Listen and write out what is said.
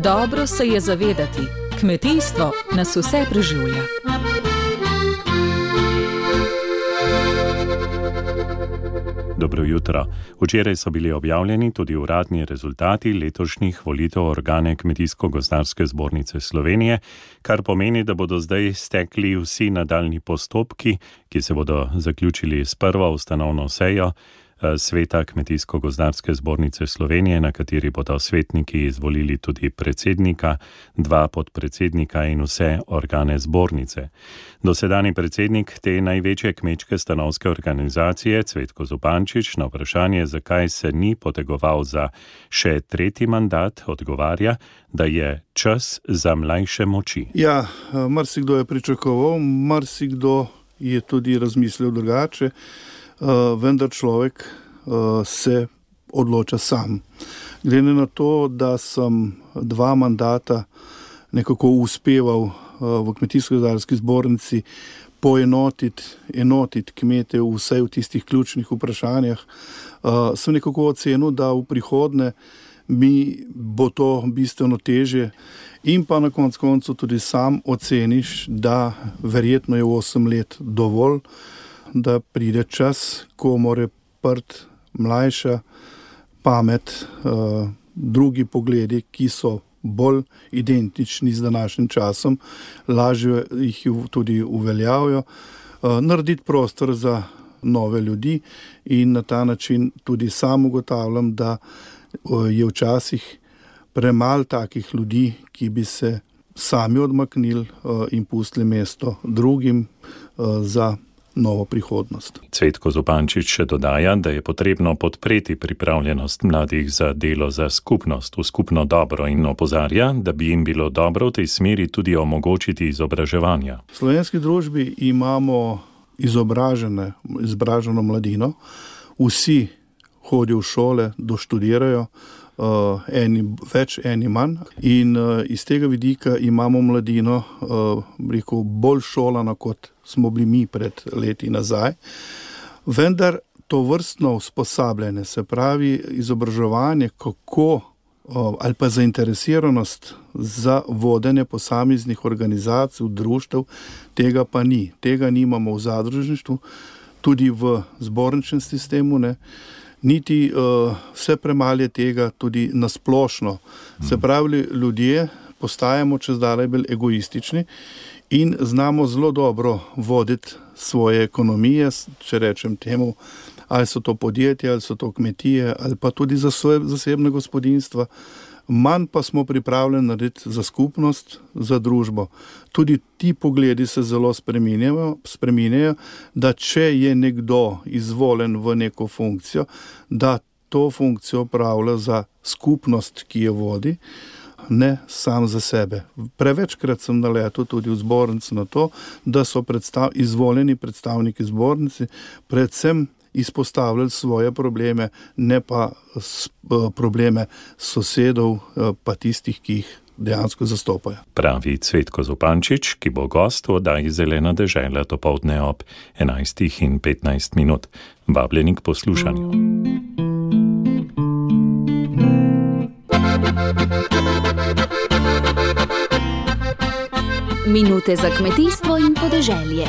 Dobro se je zavedati, kmetijstvo nas vse preživlja. Dobro jutro. Včeraj so bili objavljeni tudi uradni rezultati letošnjih volitev organe Kmetijsko-gozdarske zbornice Slovenije, kar pomeni, da bodo zdaj stekli vsi nadaljnji postopki, ki se bodo zaključili s prvo ustanovno sejo Sveta Kmetijsko-gozdarske zbornice Slovenije, na kateri bodo svetniki izvolili tudi predsednika, 2 podpredsednika in vse organe zbornice. Dosedanji predsednik te največje kmečke stanovske organizacije, Cvetko Zupančič, na vprašanje, zakaj se ni potegoval za še 3. mandat, odgovarja, da je čas za mlajše moči. Ja, marsikdo je pričakoval, marsikdo je tudi razmislil drugače. Vendar človek se odloča sam. Glede na to, da sem 2 mandata nekako uspeval v Kmetijsko-gozdarski zbornici enotiti kmete vsaj v tistih ključnih vprašanjah, sem nekako ocenil, da v prihodnje mi bo to bistveno težje in pa na koncu tudi sam oceniš, da verjetno je 8 let dovolj, da pride čas, ko more mlajša pamet, drugi pogledi, ki so bolj identični z današnjim časom, lažje jih tudi uveljavijo, narediti prostor za nove ljudi in na ta način tudi sam ugotavljam, da je včasih premalo takih ljudi, ki bi se sami odmaknili in pustili mesto drugim za novo prihodnost. Cvetko Zupančič še dodaja, da je potrebno podpreti pripravljenost mladih za delo za skupnost, v skupno dobro in opozarja, da bi jim bilo dobro v tej smeri tudi omogočiti izobraževanja. V slovenski družbi imamo izobraženo mladino, vsi hodijo v šole, doštudirajo, eni več, eni manj in iz tega vidika imamo mladino bolj šolano, kot smo bili mi pred leti nazaj. Vendar to vrstno usposabljanje, se pravi izobraževanje, kako ali pa zainteresiranost za vodenje posameznih organizacij, društev, tega pa ni. Tega nimamo v zadružništvu, tudi v zborničnem sistemu, ne. Niti vse premalje tega tudi nasplošno. Se pravi, ljudje postajamo čezdalje bolj egoistični in znamo zelo dobro voditi svoje ekonomije, če rečem temu, ali so to podjetja, ali so to kmetije, ali pa tudi za svoje zasebne gospodinjstva. Manj pa smo pripravljeni narediti za skupnost, za družbo. Tudi ti pogledi se zelo spreminjajo, da če je nekdo izvoljen v neko funkcijo, da to funkcijo opravlja za skupnost, ki jo vodi, ne sam za sebe. Prevečkrat sem naletel tudi v zbornici na to, da so izvoljeni predstavniki zbornici predvsem izpostavljali svoje probleme, ne pa probleme sosedov, pa tistih, ki jih dejansko zastopajo. Pravi Cvetko Zupančič, ki bo gost v oddaji Zelena dežela dopoldne ob 11:15. Vabljeni k poslušanju. Minute za kmetijstvo in podeželje.